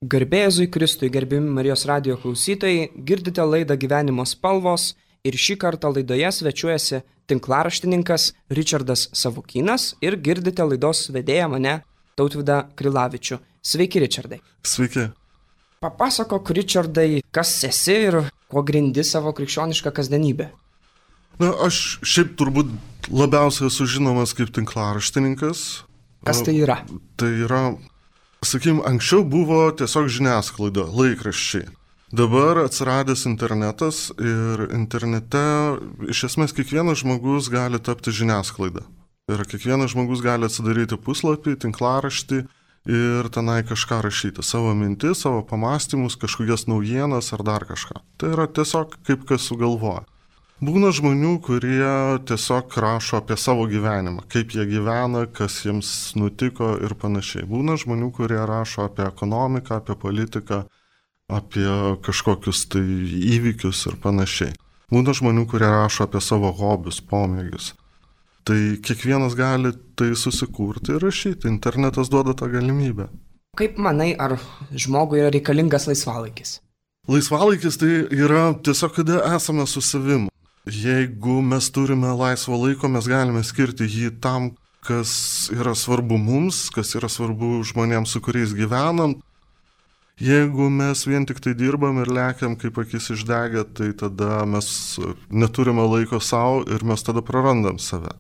Garbė Jėzui Kristui, gerbiami Marijos radijo klausytojai, girdite laidą Gyvenimo spalvos ir šį kartą laidoje svečiuojasi tinklaraštininkas Richardas Savukynas ir girdite laidos vedėją mane, Tautvydą Krilavičių. Sveiki, Richardai. Sveiki. Papasakok, Richardai, kas esi ir kuo grindi savo krikščionišką kasdienybę. Na, aš šiaip turbūt labiausiai esu žinomas kaip tinklaraštininkas. Kas tai yra? Tai yra, sakykime, anksčiau buvo tiesiog žiniasklaida, laikraščiai. Dabar atsiradęs internetas ir internete iš esmės kiekvienas žmogus gali tapti žiniasklaida. Ir kiekvienas žmogus gali atsidaryti puslapį, tinklaraštį ir tenai kažką rašyti. Savo mintis, savo pamąstymus, kažkokias naujienas ar dar kažką. Tai yra tiesiog kaip kas sugalvoja. Būna žmonių, kurie tiesiog rašo apie savo gyvenimą, kaip jie gyvena, kas jiems nutiko ir panašiai. Būna žmonių, kurie rašo apie ekonomiką, apie politiką, apie kažkokius tai įvykius ir panašiai. Būna žmonių, kurie rašo apie savo hobius, pomėgius. Tai kiekvienas gali tai susikurti ir rašyti. Internetas duoda tą galimybę. Kaip manai, ar žmogui yra reikalingas laisvalaikis? Laisvalaikis tai yra tiesiog, kada esame su savim. Jeigu mes turime laisvo laiko, mes galime skirti jį tam, kas yra svarbu mums, kas yra svarbu žmonėms, su kuriais gyvenam. Jeigu mes vien tik tai dirbam ir lekiam kaip akis išdegę, tai tada mes neturime laiko savo ir mes tada prarandam save.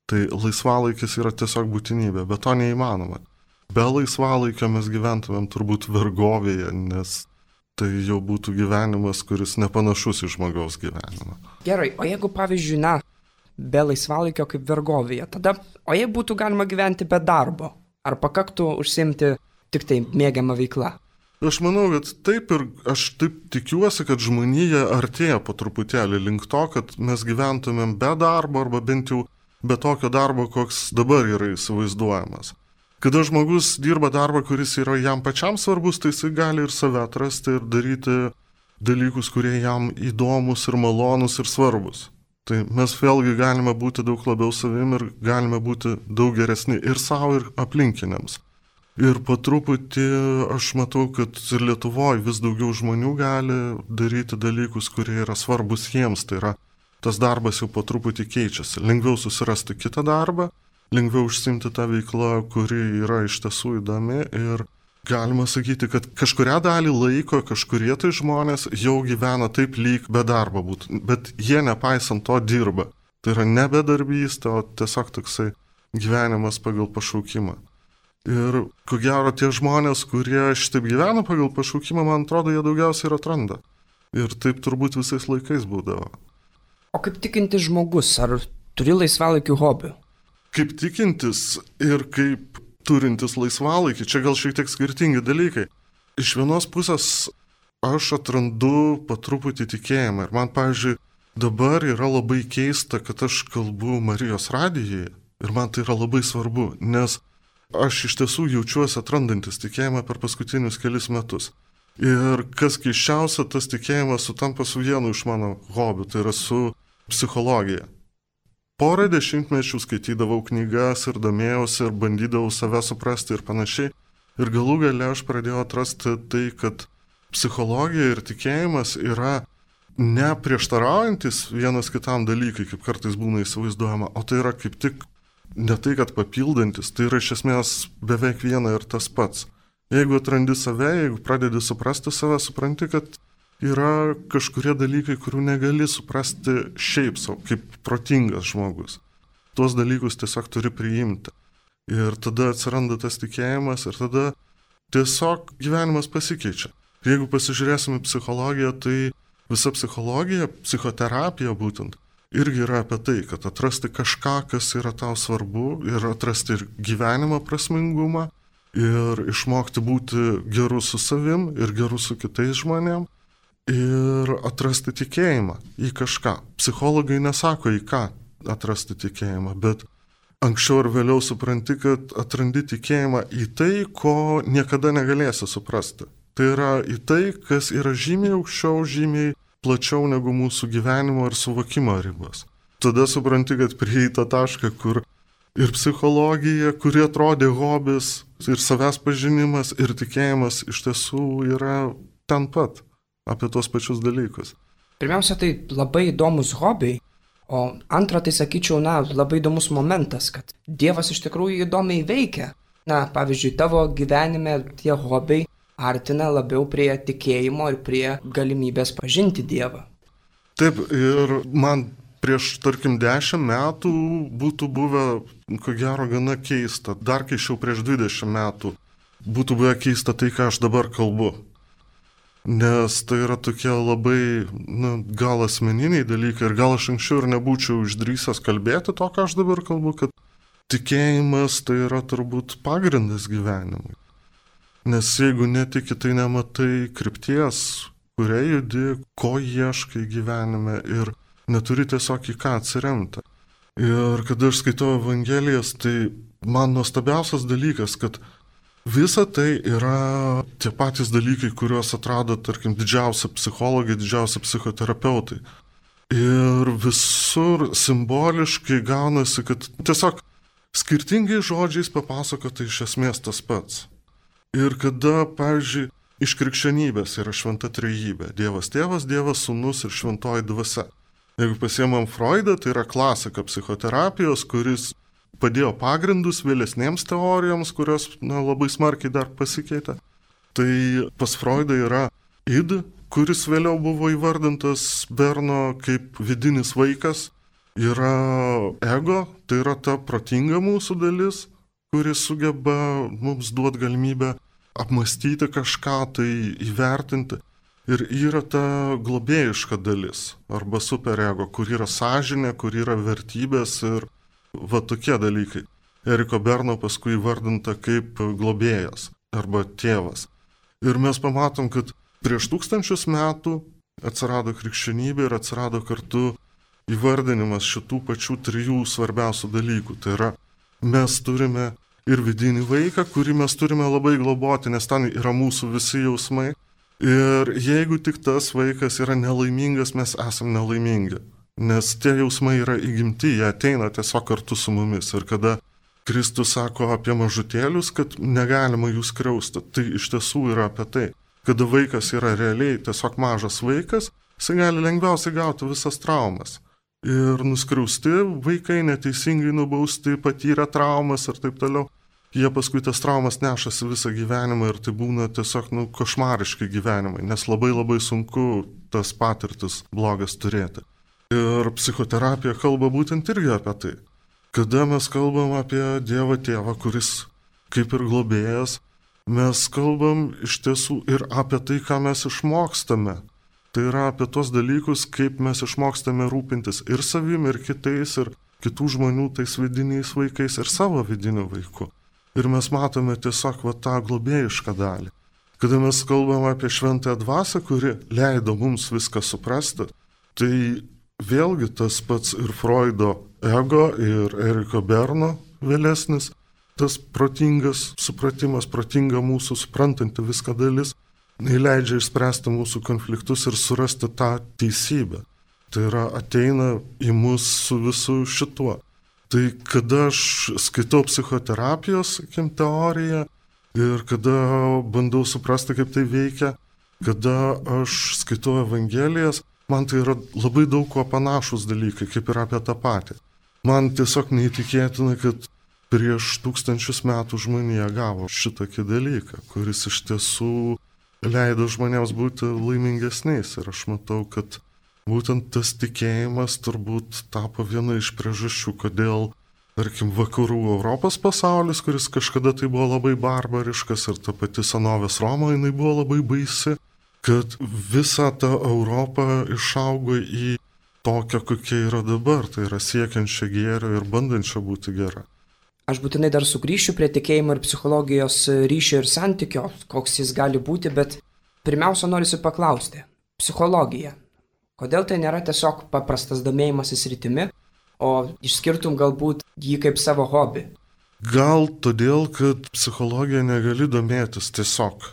Tai laisvalaikis yra tiesiog būtinybė, bet to neįmanoma. Be laisvalaikio mes gyventumėm turbūt vergovėje, nes tai jau būtų gyvenimas, kuris nepanašus į žmogaus gyvenimą. Gerai, o jeigu pavyzdžiui, be laisvalaikio kaip vergovėje, tada, o jei būtų galima gyventi be darbo, ar pakaktų užsiimti tik tai mėgiamą veiklą? Aš manau, kad taip ir aš taip tikiuosi, kad žmonija artėja po truputėlį link to, kad mes gyventumėm be darbo arba bent jau be tokio darbo, koks dabar yra įsivaizduojamas. Kada žmogus dirba darbą, kuris yra jam pačiam svarbus, tai jisai gali ir save atrasti ir daryti dalykus, kurie jam įdomus ir malonus ir svarbus. Tai mes vėlgi galime būti daug labiau savim ir galime būti daug geresni ir savo, ir aplinkiniams. Ir po truputį aš matau, kad ir Lietuvoje vis daugiau žmonių gali daryti dalykus, kurie yra svarbus jiems. Tai yra, tas darbas jau po truputį keičiasi. Lengviau susirasti kitą darbą, lengviau užsiimti tą veiklą, kuri yra iš tiesų įdomi. Ir galima sakyti, kad kažkuria dalį laiko kažkurie tai žmonės jau gyvena taip lyg be darbo būtų. Bet jie nepaisant to dirba. Tai yra ne bedarbystė, o tiesiog toksai gyvenimas pagal pašaukimą. Ir ko gero tie žmonės, kurie šitaip gyvena pagal pašaukimą, man atrodo, jie daugiausiai ir atranda. Ir taip turbūt visais laikais būdavo. O kaip tikintis žmogus, ar turi laisvalaikių hobių? Kaip tikintis ir kaip turintis laisvalaikį, čia gal šiek tiek skirtingi dalykai. Iš vienos pusės aš atrandu po truputį tikėjimą. Ir man, pavyzdžiui, dabar yra labai keista, kad aš kalbu Marijos radijoje. Ir man tai yra labai svarbu, nes aš iš tiesų jaučiuosi atrandantis tikėjimą per paskutinius kelis metus. Ir kas keiščiausia, tas tikėjimas sutampa su vienu iš mano hobių, tai yra su psichologija. Porą dešimtmečių skaitydavau knygas ir domėjausi ir bandydavau save suprasti ir panašiai. Ir galų gale aš pradėjau atrasti tai, kad psichologija ir tikėjimas yra ne prieštaraujantis vienas kitam dalykai, kaip kartais būna įsivaizduojama, o tai yra kaip tik ne tai, kad papildantis, tai yra iš esmės beveik viena ir tas pats. Jeigu atrandi save, jeigu pradedi suprasti save, supranti, kad yra kažkurie dalykai, kurių negali suprasti šiaip savo, kaip protingas žmogus. Tuos dalykus tiesiog turi priimti. Ir tada atsiranda tas tikėjimas ir tada tiesiog gyvenimas pasikeičia. Jeigu pasižiūrėsime psichologiją, tai visa psichologija, psichoterapija būtent, irgi yra apie tai, kad atrasti kažką, kas yra tau svarbu ir atrasti ir gyvenimo prasmingumą ir išmokti būti geru su savim ir geru su kitais žmonėm ir atrasti tikėjimą į kažką. Psichologai nesako į ką atrasti tikėjimą, bet anksčiau ar vėliau supranti, kad atrandi tikėjimą į tai, ko niekada negalėsi suprasti. Tai yra į tai, kas yra žymiai aukščiau, žymiai plačiau negu mūsų gyvenimo ir suvokimo ribos. Tada supranti, kad prieita tašką, kur ir psichologija, kuri atrodė hobis, ir savęs pažinimas, ir tikėjimas iš tiesų yra ten pat, apie tuos pačius dalykus. Pirmiausia, tai labai įdomus hobiai, o antra, tai sakyčiau, labai įdomus momentas, kad Dievas iš tikrųjų įdomiai veikia. Pavyzdžiui, tavo gyvenime tie hobiai artina labiau prie tikėjimo ir prie galimybės pažinti Dievą. Taip, ir man prieš, tarkim, 10 metų būtų buvę, ko gero, gana keista. Dar keičiau prieš 20 metų būtų buvę keista tai, ką aš dabar kalbu. Nes tai yra tokie labai, gal asmeniniai dalykai ir gal aš anksčiau ir nebūčiau išdrįsęs kalbėti to, ką aš dabar kalbu, kad tikėjimas tai yra turbūt pagrindas gyvenimui. Nes jeigu netiki, tai nematai krypties, kuria judi, ko ieškai gyvenime ir neturi tiesiog į ką atsiremti. Ir kada aš skaitau Evangelijas, tai man nuostabiausias dalykas, kad visa tai yra tie patys dalykai, kuriuos atrado, tarkim, didžiausi psichologai, didžiausi psichoterapeutai. Ir visur simboliškai gaunasi, kad tiesiog skirtingai žodžiais papasakota iš esmės tas pats. Ir kada, pavyzdžiui, iš krikščionybės yra šventa trejybė – Dievas Tėvas, Dievas Sūnus ir šventoji dvasia. Jeigu pasiemam Freudą, tai yra klasika psichoterapijos, kuris padėjo pagrindus vėlesnėms teorijoms, kurios labai smarkiai dar pasikeitė. Tai pas Freudą yra id, kuris vėliau buvo įvardintas Berno kaip vidinis vaikas. Yra ego, tai yra ta protinga mūsų dalis, kuris sugeba mums duoti galimybę apmastyti kažką, tai įvertinti. Ir yra ta globėjiška dalis, arba superego, kur yra sąžinė, kur yra vertybės ir tokie dalykai. Eriko Berno paskui įvardinta kaip globėjas arba tėvas. Ir mes pamatom, kad prieš 1000 metų atsirado krikščionybė ir atsirado kartu įvardinimas šitų pačių 3 svarbiausių dalykų. Tai yra, mes turime ir vidinį vaiką, kurį mes turime labai globoti, nes ten yra mūsų visi jausmai. Ir jeigu tik tas vaikas yra nelaimingas, mes esame nelaimingi. Nes tie jausmai yra įgimti, jie ateina tiesiog kartu su mumis. Ir kada Kristus sako apie mažutėlius, kad negalima jų skriausti, tai iš tiesų yra apie tai. Kada vaikas yra realiai tiesiog mažas vaikas, jis gali lengviausiai gauti visas traumas. Ir nuskriausti vaikai, neteisingai nubausti, patyrę traumas ir taip toliau. Jie paskui tas traumas nešasi visą gyvenimą ir tai būna tiesiog košmariški gyvenimai, nes labai labai sunku tas patirtis blogas turėti. Ir psichoterapija kalba būtent irgi apie tai. Kada mes kalbam apie Dievą Tėvą, kuris kaip ir globėjas, mes kalbam iš tiesų ir apie tai, ką mes išmokstame. Tai yra apie tos dalykus, kaip mes išmokstame rūpintis ir savim, ir kitais, ir kitų žmonių tais vidiniais vaikais, ir savo vidiniu vaiku. Ir mes matome tiesiog tą globėjišką dalį. Kada mes kalbam apie šventąją dvasią, kuri leido mums viską suprasti, tai vėlgi tas pats ir Freudo ego, ir Eriko Berno vėlesnis, tas protingas supratimas, protinga mūsų suprantanti viską dalis, leidžia išspręsti mūsų konfliktus ir surasti tą teisybę. Tai yra ateina į mus su visu šituo. Tai kada aš skaitau psichoterapijos, teoriją ir kada bandau suprasti, kaip tai veikia, kada aš skaitau Evangelijas, man tai yra labai daug kuo panašus dalykai, kaip ir apie tą patį. Man tiesiog neįtikėtina, kad prieš 1000 metų žmonija gavo šitokį dalyką, kuris iš tiesų leido žmonėms būti laimingesniais. Ir aš matau, kad būtent tas tikėjimas turbūt tapo viena iš priežasčių, kodėl, tarkim, vakarų Europos pasaulis, kuris kažkada tai buvo labai barbariškas ir ta pati senovės Roma, jinai buvo labai baisi, kad visa ta Europa išaugo į tokią, kokia yra dabar, tai yra siekiančia gėrio ir bandančia būti gera. Aš būtinai dar sugrįšiu prie tikėjimo ir psichologijos ryšio ir santykio, koks jis gali būti, bet pirmiausia norisi paklausti. Psichologija. Kodėl tai nėra tiesiog paprastas domėjimasis rytimi, o išskirtum galbūt jį kaip savo hobį? Gal todėl, kad psichologija negali domėtis tiesiog.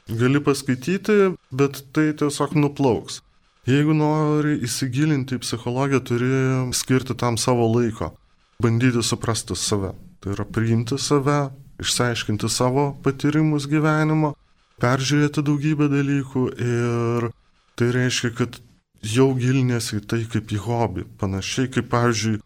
Gali paskaityti, bet tai tiesiog nuplauks. Jeigu nori įsigilinti į psichologiją, turi skirti tam savo laiko, bandyti suprasti save. Tai yra priimti save, išsiaiškinti savo patyrimus gyvenimo, peržiūrėti daugybę dalykų ir tai reiškia, kad jau gilinėsi į tai kaip į hobį. Panašiai kaip, pavyzdžiui,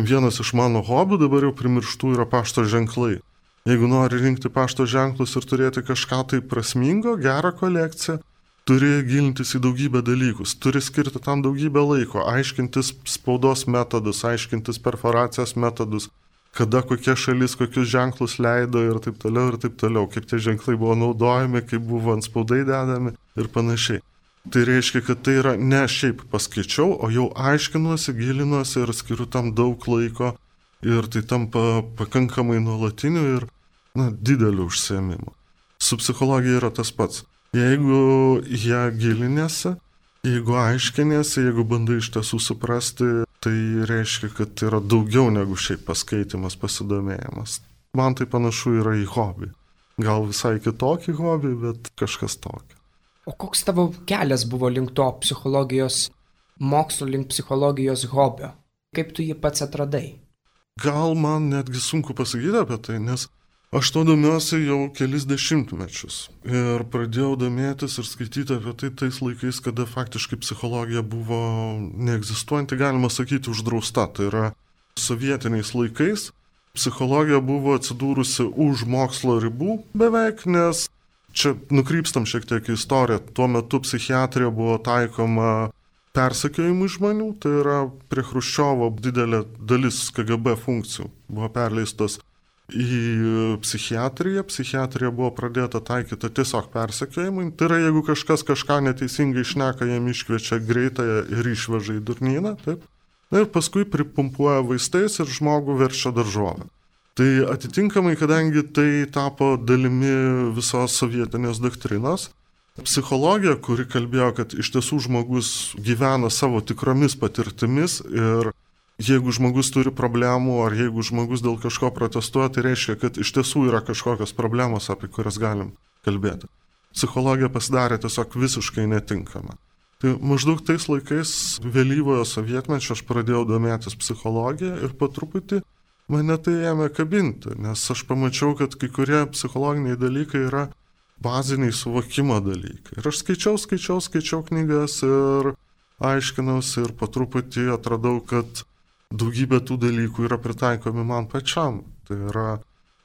vienas iš mano hobių dabar jau primirštų yra pašto ženklai. Jeigu nori rinkti pašto ženklus ir turėti kažką tai prasmingo, gerą kolekciją, turi gilintis į daugybę dalykus, turi skirti tam daugybę laiko, aiškintis spaudos metodus, aiškintis perforacijos metodus, kada kokia šalis kokius ženklus leido ir taip toliau, kaip tie ženklai buvo naudojami, kaip buvo ant spaudai dedami ir panašiai. Tai reiškia, kad tai yra ne šiaip paskaičiau, o jau aiškinuosi, gilinuosi ir skiriu tam daug laiko ir tai tampa pakankamai nuolatiniu ir dideliu užsiėmimu. Su psichologija yra tas pats. Jeigu ją gilinėsi, jeigu aiškinėsi, jeigu bandai iš tiesų suprasti, tai reiškia, kad tai yra daugiau negu šiaip paskaitimas, pasidomėjimas. Man tai panašu yra į hobį. Gal visai kitokį hobį, bet kažkas tokio. O koks tavo kelias buvo link to psichologijos mokslo, link psichologijos hobio? Kaip tu jį pats atradai? Gal man netgi sunku pasakyti apie tai, nes aš to domiuosi jau kelis dešimtmečius ir pradėjau domėtis ir skaityti apie tai tais laikais, kada faktiškai psichologija buvo neegzistuojanti, galima sakyti, uždrausta. Tai yra sovietiniais laikais psichologija buvo atsidūrusi už mokslo ribų beveik, nes čia nukrypstam šiek tiek į istoriją. Tuo metu psichiatrija buvo taikoma persekiojimui žmonių, tai yra prie Chruščiovo didelė dalis KGB funkcijų buvo perleistos į psichiatriją. Psichiatrija buvo pradėta taikyti tiesiog persekiojimui. Tai yra, jeigu kažkas kažką neteisingai šneka, jam iškviečia greitąją ir išveža į durnyną, taip. Ir paskui pripumpuoja vaistais ir žmogų verčia daržovę. Tai atitinkamai, kadangi tai tapo dalimi visos sovietinės doktrinos, psichologija, kuri kalbėjo, kad iš tiesų žmogus gyvena savo tikromis patirtimis ir jeigu žmogus turi problemų ar jeigu žmogus dėl kažko protestuoja, tai reiškia, kad iš tiesų yra kažkokios problemos, apie kurias galim kalbėti. Psichologija pasidarė tiesiog visiškai netinkama. Tai maždaug tais laikais vėlyvojo sovietmečio aš pradėjau domėtis psichologiją ir po truputį mane tai ėmė kabinti, nes aš pamačiau, kad kai kurie psichologiniai dalykai yra baziniai suvokimo dalykai. Ir aš skaičiau knygas ir aiškinausi ir po truputį atradau, kad daugybė tų dalykų yra pritaikomi man pačiam. Tai yra,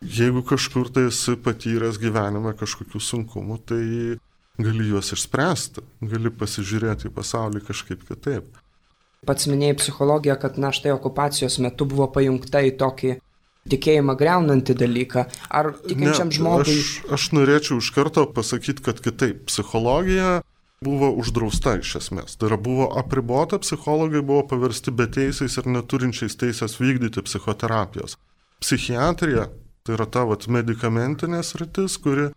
jeigu kažkur tai esi patyręs gyvenime kažkokių sunkumų, tai gali juos išspręsti, gali pasižiūrėti į pasaulį kažkaip kitaip. Pats minėjai psichologiją, kad štai okupacijos metu buvo pajungta į tokį tikėjimą greunantį dalyką. Ar tikinčiam žmogui... Aš norėčiau iš karto pasakyti, kad kitaip. Psichologija buvo uždrausta iš esmės. Tai yra buvo apribota, psichologai buvo paversti beteisiais ir neturinčiais teisės vykdyti psichoterapijos. Psichiatrija, tai yra ta medikamentinė sritis, kuri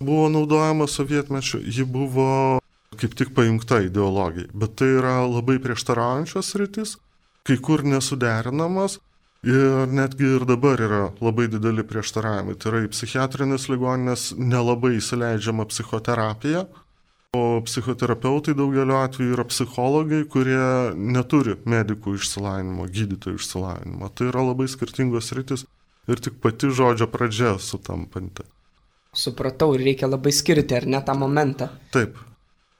buvo naudojama sovietmečiu, ji buvo kaip tik pajungta ideologijai. Bet tai yra labai prieštaraujančios sritis, kai kur nesuderinamas ir netgi ir dabar yra labai dideli prieštaravimai. Tai yra į psichiatrinės ligoninės nelabai įsileidžiama psichoterapija, o psichoterapeutai daugeliu atveju yra psichologai, kurie neturi medikų išsilavinimo, gydytojų išsilavinimo. Tai yra labai skirtingos sritis ir tik pati žodžio pradžia sutampanti. Supratau, ir reikia labai skirti, ar ne, tą momentą? Taip.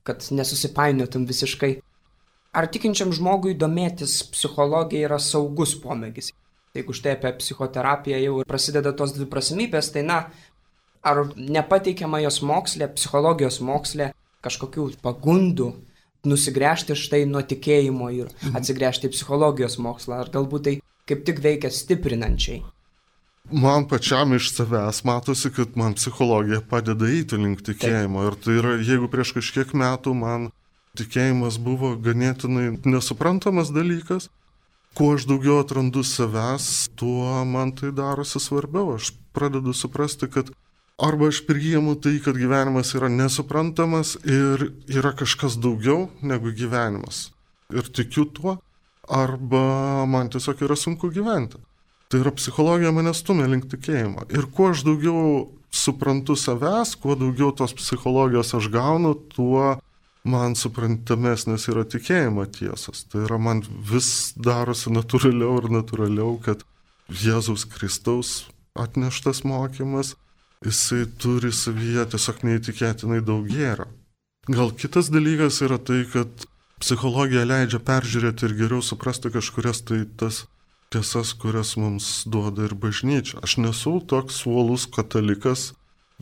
Kad nesusipainiotum visiškai. Ar tikinčiam žmogui domėtis psichologija yra saugus pomėgis? Jeigu štai apie psichoterapiją jau prasideda tos dviprasmybės, tai ar nepateikiama jos moksle, psichologijos moksle, kažkokių pagundų nusigręžti štai nuo tikėjimo ir atsigręžti į psichologijos mokslą, ar galbūt tai kaip tik veikia stiprinančiai? Man pačiam iš savęs matosi, kad man psichologija padeda eiti link tikėjimo. Ir tai yra, jeigu prieš kažkiek metų man tikėjimas buvo ganėtinai nesuprantamas dalykas, kuo aš daugiau atrandu savęs, tuo man tai darosi svarbiau. Aš pradedu suprasti, kad arba aš priimu tai, kad gyvenimas yra nesuprantamas ir yra kažkas daugiau negu gyvenimas. Ir tikiu tuo, arba man tiesiog yra sunku gyventi. Tai yra psichologija mane stumia link tikėjimo. Ir kuo aš daugiau suprantu savęs, kuo daugiau tos psichologijos aš gaunu, tuo man suprantamesnės yra tikėjimo tiesos. Tai yra man vis darosi natūraliau ir natūraliau, kad Jėzaus Kristaus atneštas mokymas, jisai turi savyje tiesiog neįtikėtinai daug gėrio. Gal kitas dalykas yra tai, kad psichologija leidžia peržiūrėti ir geriau suprasti kažkurias tai tas tiesas, kurias mums duoda ir bažnyčia. Aš nesu toks uolus katalikas,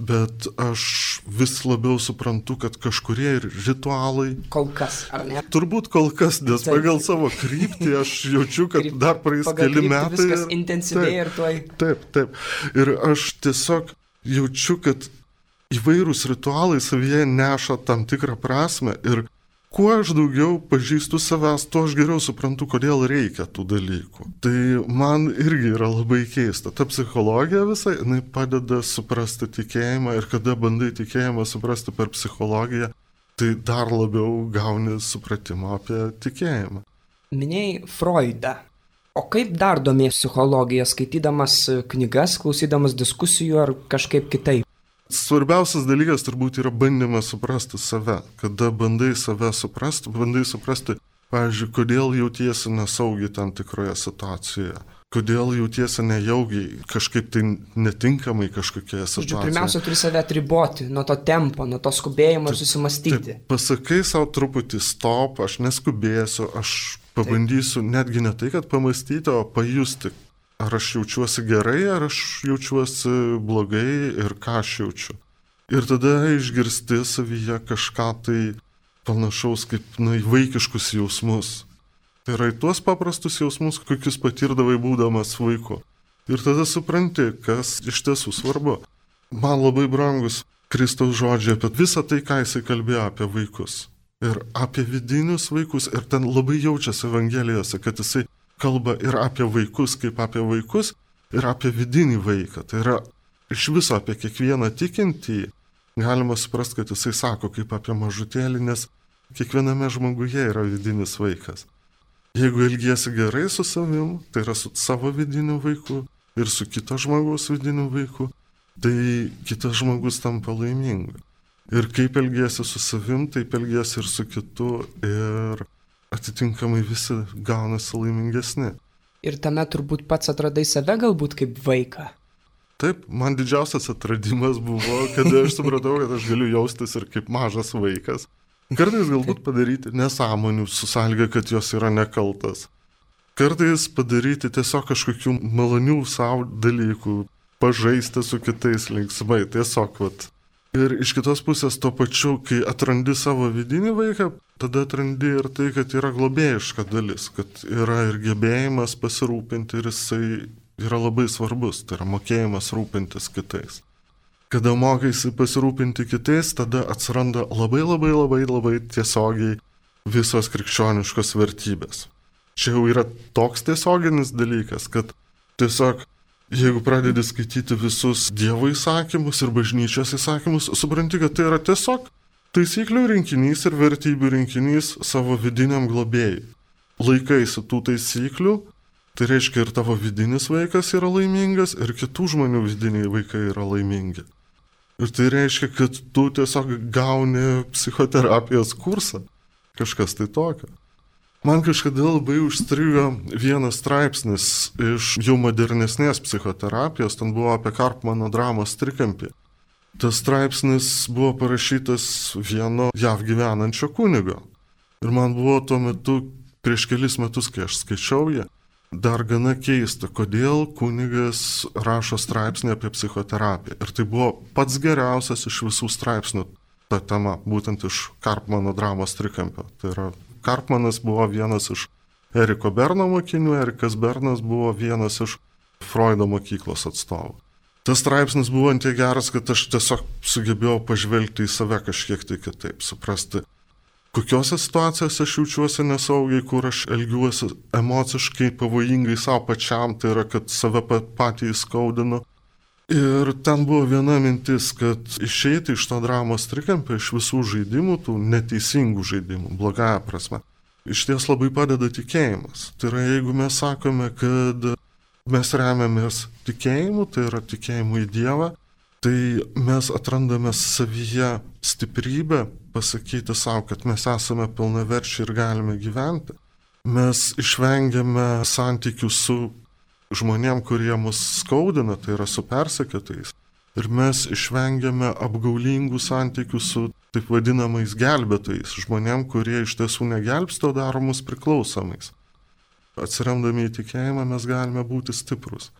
bet aš vis labiau suprantu, kad kažkurie ir ritualai... Kol kas, ar ne? Turbūt kol kas, nes pagal savo kryptį aš jaučiu, kad dar praeis keli metai. Viskas intensyvėja ir tuoj. Taip. Ir aš tiesiog jaučiu, kad įvairūs ritualai savyje neša tam tikrą prasme ir kuo aš daugiau pažįstu savęs, tuo aš geriau suprantu, kodėl reikia tų dalykų. Tai man irgi yra labai keista. Ta psichologija visai, jinai padeda suprasti tikėjimą ir kada bandai tikėjimą suprasti per psichologiją, tai dar labiau gauni supratimą apie tikėjimą. Minėjai Freudą. O kaip dar domės psichologija, skaitydamas knygas, klausydamas diskusijų ar kažkaip kitaip? Svarbiausias dalykas turbūt yra bandymas suprasti save. Kada bandai save suprasti, pavyzdžiui, kodėl jautiesi nesaugiai tam tikroje situacijoje. Kodėl jautiesi nejaugiai, kažkaip tai netinkamai kažkokioje situacijoje. Pirmiausia, turi save atriboti nuo to tempo, nuo to skubėjimo ir susimastyti. Pasakai savo truputį stop, aš neskubėsiu, aš pabandysiu netgi ne tai, kad pamastyti, o pajusti. Ar aš jaučiuosi gerai, ar aš jaučiuosi blogai ir ką aš jaučiu. Ir tada išgirsti savyje kažką tai panašaus kaip vaikiškus jausmus. Tai yra į tuos paprastus jausmus, kokius patirdavai būdamas vaiku. Ir tada supranti, kas iš tiesų svarbu. Man labai brangus Kristaus žodžiai apie visą tai, ką jisai kalbėjo apie vaikus. Ir apie vidinius vaikus. Ir ten labai jaučiasi Evangelijose, kad jisai kalba ir apie vaikus kaip apie vaikus, ir apie vidinį vaiką. Tai yra iš viso apie kiekvieną tikintį. Galima suprasti, kad jisai sako kaip apie mažutėlį, nes kiekviename žmoguje yra vidinis vaikas. Jeigu elgiesi gerai su savim, tai yra su savo vidiniu vaiku ir su kito žmogaus vidiniu vaiku, tai kitas žmogus tampa laimingu. Ir kaip elgiesi su savim, taip elgiesi ir su kitu ir atitinkamai visi gaunasi laimingesni. Ir tame turbūt pats atradai save galbūt kaip vaiką. Taip, man didžiausias atradimas buvo, kada aš supratau, kad aš galiu jaustis ir kaip mažas vaikas. Kartais galbūt padaryti nesąmonių su sąlyga, kad jos yra nekaltas. Kartais padaryti tiesiog kažkokių malonių savo dalykų, pažaisti su kitais linksmai, tiesiog vat. Ir iš kitos pusės to pačiu, kai atrandi savo vidinį vaiką, tada atrandi ir tai, kad yra globėjiška dalis, kad yra ir gebėjimas pasirūpinti ir jisai yra labai svarbus, tai yra mokėjimas rūpintis kitais. Kada mokaisi pasirūpinti kitais, tada atsiranda labai tiesiogiai visos krikščioniškos vertybės. Čia jau yra toks tiesioginis dalykas, kad tiesiog jeigu pradedi skaityti visus Dievo įsakymus ir bažnyčios įsakymus, supranti, kad tai yra tiesiog taisyklių rinkinys ir vertybių rinkinys savo vidiniam globėjui. Laikaisi tų taisyklių, tai reiškia ir tavo vidinis vaikas yra laimingas, ir kitų žmonių vidiniai vaikai yra laimingi. Ir tai reiškia, kad tu tiesiog gauni psichoterapijos kursą. Kažkas tai tokio. Man kažkada labai užstrigo vienas straipsnis iš jau modernesnės psichoterapijos, ten buvo apie Karpmano dramos trikampį. Tas straipsnis buvo parašytas vieno JAV gyvenančio kunigo. Ir man buvo tuo metu, prieš kelis metus, kai aš skaičiau ją, dar gana keista, kodėl kunigas rašo straipsnį apie psichoterapiją. Ir tai buvo pats geriausias iš visų straipsnių ta tema, būtent iš Karpmano dramos trikampio. Tai yra Karpmanas buvo vienas iš Eriko Berno mokinių, Erikas Bernas buvo vienas iš Freudo mokyklos atstovų. Tas straipsnis buvo ant tiek geras, kad aš tiesiog sugebėjau pažvelgti į save kažkiek tai kitaip, suprasti, kokiose situacijose aš jaučiuosi nesaugiai, kur aš elgiuosi emociškai pavojingai savo pačiam, tai yra, kad save patį įskaudinu. Ir ten buvo viena mintis, kad išeiti iš to dramos trikampio, iš visų žaidimų, tų neteisingų žaidimų, blogąja prasme, iš ties labai padeda tikėjimas. Tai yra, jeigu mes sakome, kad mes remiamės tikėjimu, tai yra tikėjimu į Dievą, tai mes atrandame savyje stiprybę pasakyti savo, kad mes esame pilnaverčiai ir galime gyventi. Mes išvengiame santykių su žmonėm, kurie mus skaudina, tai yra su persekiotojais. Ir mes išvengiame apgaulingų santykių su taip vadinamais gelbėtojais, žmonėm, kurie iš tiesų negelbsto, daro mus priklausomais. Atsiremdami į tikėjimą mes galime būti stiprus.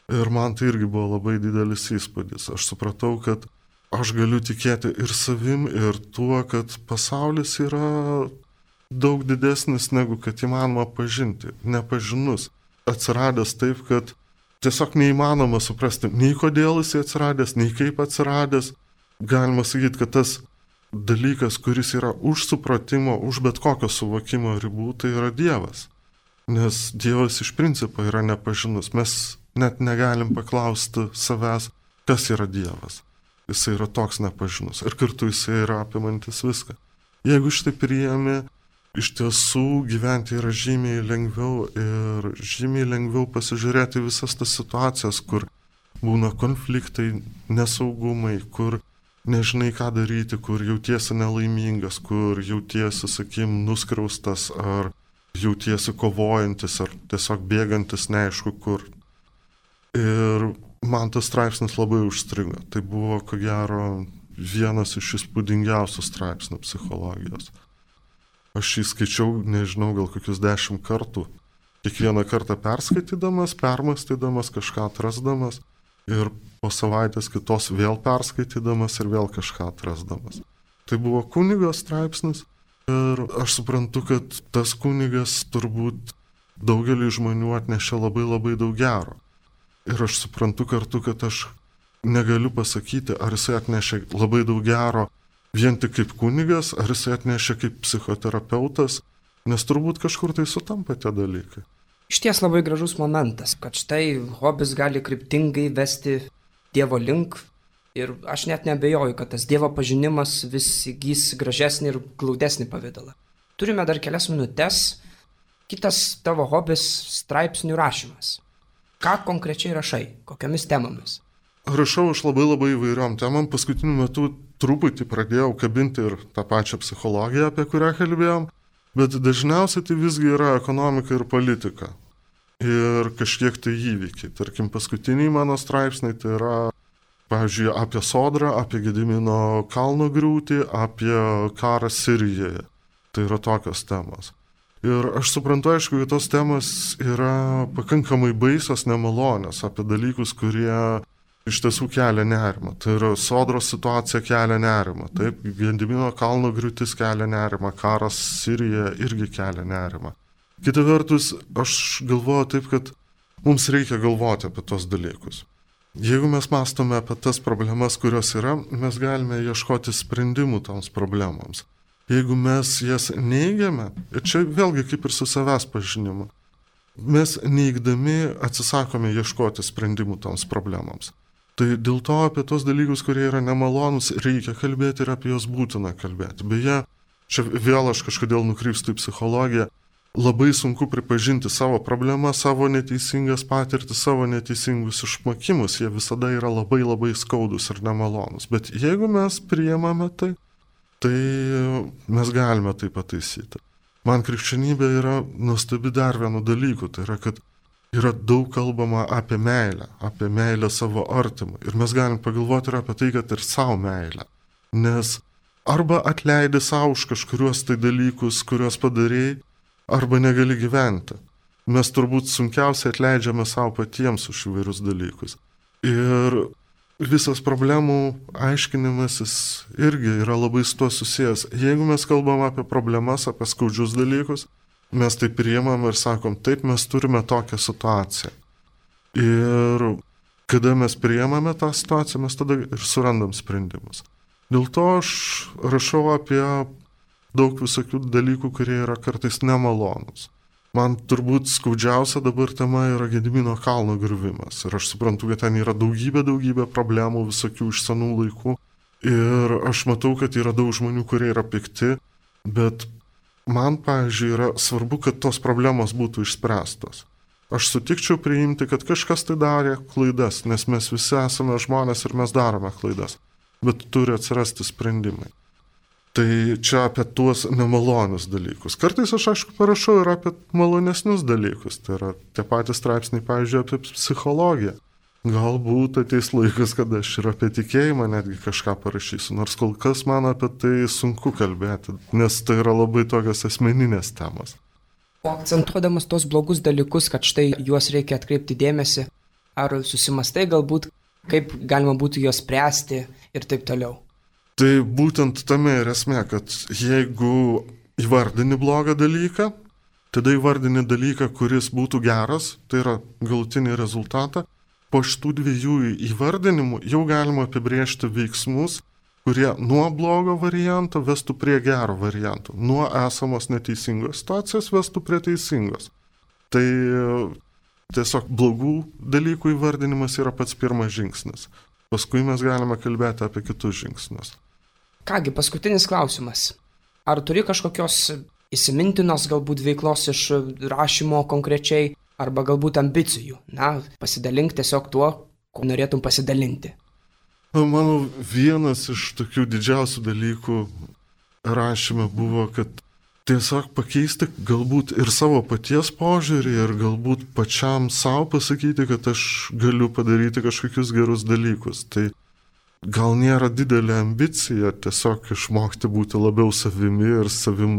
Ir man tai irgi buvo labai didelis įspūdis. Aš supratau, kad aš galiu tikėti ir savim, ir tuo, kad pasaulis yra daug didesnis, negu kad įmanoma pažinti. Nepažinus. Atsiradęs taip, kad tiesiog neįmanoma suprasti nei kodėl jis atsiradęs, nei kaip atsiradęs. Galima sakyti, kad tas dalykas, kuris yra už supratimo, už bet kokio suvokimo ribų, tai yra Dievas. Nes Dievas iš principo yra nepažinus. Mes net negalim paklausti savęs, kas yra Dievas. Jisai yra toks nepažinus ir kartu jisai yra apimantis viską. Jeigu šitai priėmė, iš tiesų gyventi yra žymiai lengviau ir žymiai lengviau pasižiūrėti visas tas situacijas, kur būna konfliktai, nesaugumai, kur nežinai ką daryti, kur jautiesi nelaimingas, kur jautiesi, sakykim, nuskriaustas ar jautiesi kovojantis ar tiesiog bėgantis neaišku kur. Ir man tas straipsnis labai užstrigo. Tai buvo, ko gero, vienas iš įspūdingiausių straipsnių psichologijos. Aš jį skaičiau, nežinau, gal kokius 10 kartų. Kiekvieną kartą perskaitydamas, permąstydamas, kažką atrasdamas ir po savaitės kitos vėl perskaitydamas ir vėl kažką atrasdamas. Tai buvo kunigo straipsnis ir aš suprantu, kad tas kunigas turbūt daugelį žmonių atnešė labai labai daug gero. Ir aš suprantu kartu, kad aš negaliu pasakyti, ar jisai atnešė labai daug gero vien tik kaip kunigas, ar jisai atnešė kaip psichoterapeutas, nes turbūt kažkur tai sutampa tie dalykai. Išties labai gražus momentas, kad štai hobis gali kryptingai vesti Dievo link ir aš net neabejoju, kad tas Dievo pažinimas vis įgys gražesnį ir glaudesnį pavidalą. Turime dar kelias minutės. Kitas tavo hobis - straipsnių rašymas. Ką konkrečiai rašai? Kokiamis temomis? Rašau aš labai įvairiom temam. Paskutiniu metu truputį pradėjau kabinti ir tą pačią psichologiją, apie kurią kalbėjom, bet dažniausiai tai visgi yra ekonomika ir politika. Ir kažkiek tai įvykiai. Tarkim, paskutiniai mano straipsniai tai yra, pavyzdžiui, apie Sodrą, apie Gedimino kalno griūtį, apie karą Sirijoje. Tai yra tokios temos. Ir aš suprantu, aišku, kad tos temos yra pakankamai baisios, nemalonės, apie dalykus, kurie iš tiesų kelia nerimą. Tai yra Sodros situacija kelia nerimą. Taip, Gedimino kalno griūtis kelia nerimą, karas Sirijoje irgi kelia nerimą. Kita vertus, aš galvoju taip, kad mums reikia galvoti apie tos dalykus. Jeigu mes mąstome apie tas problemas, kurios yra, mes galime ieškoti sprendimų toms problemams. Jeigu mes jas neigiame, ir čia vėlgi kaip ir su savęs pažinimu, mes neigdami atsisakome ieškoti sprendimų toms problemams. Tai dėl to apie tos dalykus, kurie yra nemalonus, reikia kalbėti ir apie juos būtina kalbėti. Beje, čia vėl aš kažkodėl nukrypstu į psichologiją. Labai sunku pripažinti savo problemą, savo neteisingas patirtis, savo neteisingus išmokimus. Jie visada yra labai skaudus ir nemalonus. Bet jeigu mes priimame tai mes galime tai pataisyti. Man krikščionybė yra nuostabi dar vienu dalyku. Tai yra, kad yra daug kalbama apie meilę savo artimui. Ir mes galim pagalvoti ir apie tai, kad ir savo meilę. Nes arba atleidi savo už kažkuriuos tai dalykus, kuriuos padarėjai, arba negali gyventi. Mes turbūt sunkiausiai atleidžiame savo patiems už įvairius dalykus. Ir visas problemų aiškinimasis irgi yra labai su tuo susijęs. Jeigu mes kalbam apie problemas, apie skaudžius dalykus, mes tai priimam ir sakom, taip, mes turime tokią situaciją. Ir kada mes priimame tą situaciją, mes tada ir surandam sprendimus. Dėl to aš rašau apie daug visokių dalykų, kurie yra kartais nemalonus. Man turbūt skaudžiausia dabar tema yra Gedimino kalno griuvimas. Ir aš suprantu, kad ten yra daugybė problemų visokių iš senų laikų. Ir aš matau, kad yra daug žmonių, kurie yra pikti. Bet man, pavyzdžiui, yra svarbu, kad tos problemos būtų išspręstos. Aš sutikčiau priimti, kad kažkas tai darė klaidas, nes mes visi esame žmonės ir mes darome klaidas. Bet turi atsirasti sprendimai. Tai čia apie tuos nemalonius dalykus. Kartais aš, aišku, parašau ir apie malonesnius dalykus. Tai yra tie patys straipsniai, pavyzdžiui, apie psichologiją. Galbūt ateis laikas, kada aš ir apie tikėjimą netgi kažką parašysiu, nors kol kas man apie tai sunku kalbėti, nes tai yra labai tokios asmeninės temos. O akcentuodamas tos blogus dalykus, kad štai juos reikia atkreipti dėmesį, ar susimastai galbūt, kaip galima būtų juos spręsti ir taip toliau? Tai būtent tame ir esmė, kad jeigu įvardini blogą dalyką, tada įvardini dalyką, kuris būtų geras, tai yra galutinį rezultatą. Po šitų dviejų įvardinimų jau galima apibrėžti veiksmus, kurie nuo blogo varianto vestų prie gero varianto, nuo esamos neteisingos situacijos vestų prie teisingos. Tai tiesiog blogų dalykų įvardinimas yra pats pirmas žingsnis. Paskui mes galime kalbėti apie kitus žingsnius. Kągi, paskutinis klausimas. Ar turi kažkokios įsimintinos galbūt veiklos iš rašymo konkrečiai, arba galbūt ambicijų? Na, pasidalink tiesiog tuo, ko norėtum pasidalinti. Mano vienas iš tokių didžiausių dalykų rašyme buvo, kad tiesiog pakeisti galbūt ir savo paties požiūrį ir galbūt pačiam savo pasakyti, kad aš galiu padaryti kažkokius gerus dalykus. Tai gal nėra didelė ambicija tiesiog išmokti būti labiau savimi ir savim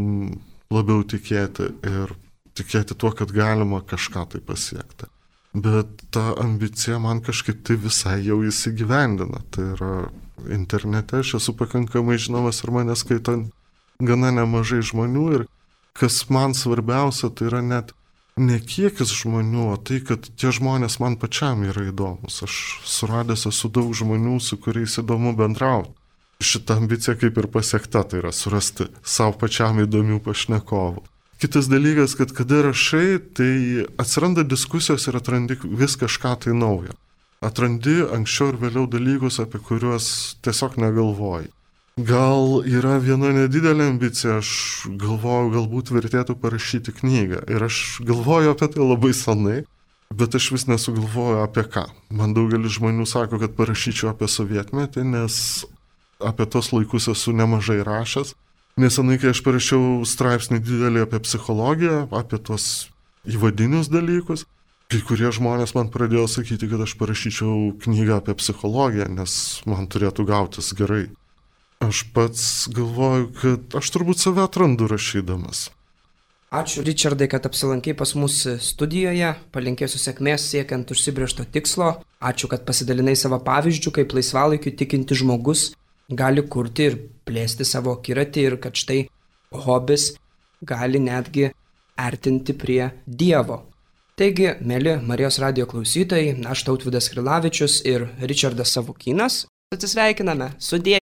labiau tikėti ir tikėti tuo, kad galima kažką tai pasiekti. Bet ta ambicija man kažkaip tai visai jau įsigyvendina. Tai yra internete, aš esu pakankamai žinomas ir mane skaito gana nemažai žmonių ir kas man svarbiausia, tai yra net ne kiekis žmonių, o tai, kad tie žmonės man pačiam yra įdomus. Aš suradęs esu daug žmonių, su kuriais įdomu bendrauti. Šita ambicija kaip ir pasiekta, tai yra surasti savo pačiam įdomių pašnekovų. Kitas dalykas, kad kada rašai, tai atsiranda diskusijos ir atrandi vis kažką tai naujo. Atrandi anksčiau ir vėliau dalykus, apie kuriuos tiesiog negalvoji. Gal yra viena nedidelė ambicija, aš galvoju, galbūt vertėtų parašyti knygą. Ir aš galvoju apie tai labai senai, bet aš vis nesugalvoju apie ką. Man daugelis žmonių sako, kad parašyčiau apie sovietmetį, nes apie tos laikus esu nemažai rašęs. Nesenai, kai aš parašiau straipsnį didelį apie psichologiją, apie tos įvadinius dalykus, kai kurie žmonės man pradėjo sakyti, kad aš parašyčiau knygą apie psichologiją, nes man turėtų gautis gerai. Aš pats galvoju, kad aš turbūt save atrandu rašydamas. Ačiū, Richardai, kad apsilankei pas mus studijoje, palinkėsiu sėkmės siekiant užsibrėžto tikslo. Ačiū, kad pasidalinai savo pavyzdžių, kaip laisvalaikiu tikinti žmogus gali kurti ir plėsti savo akiratį ir kad štai hobis gali netgi artinti prie Dievo. Taigi, mėly Marijos radijo klausytojai, aš Tautvydas Krilavičius ir Richardas Savukynas atsisveikiname. Sudie.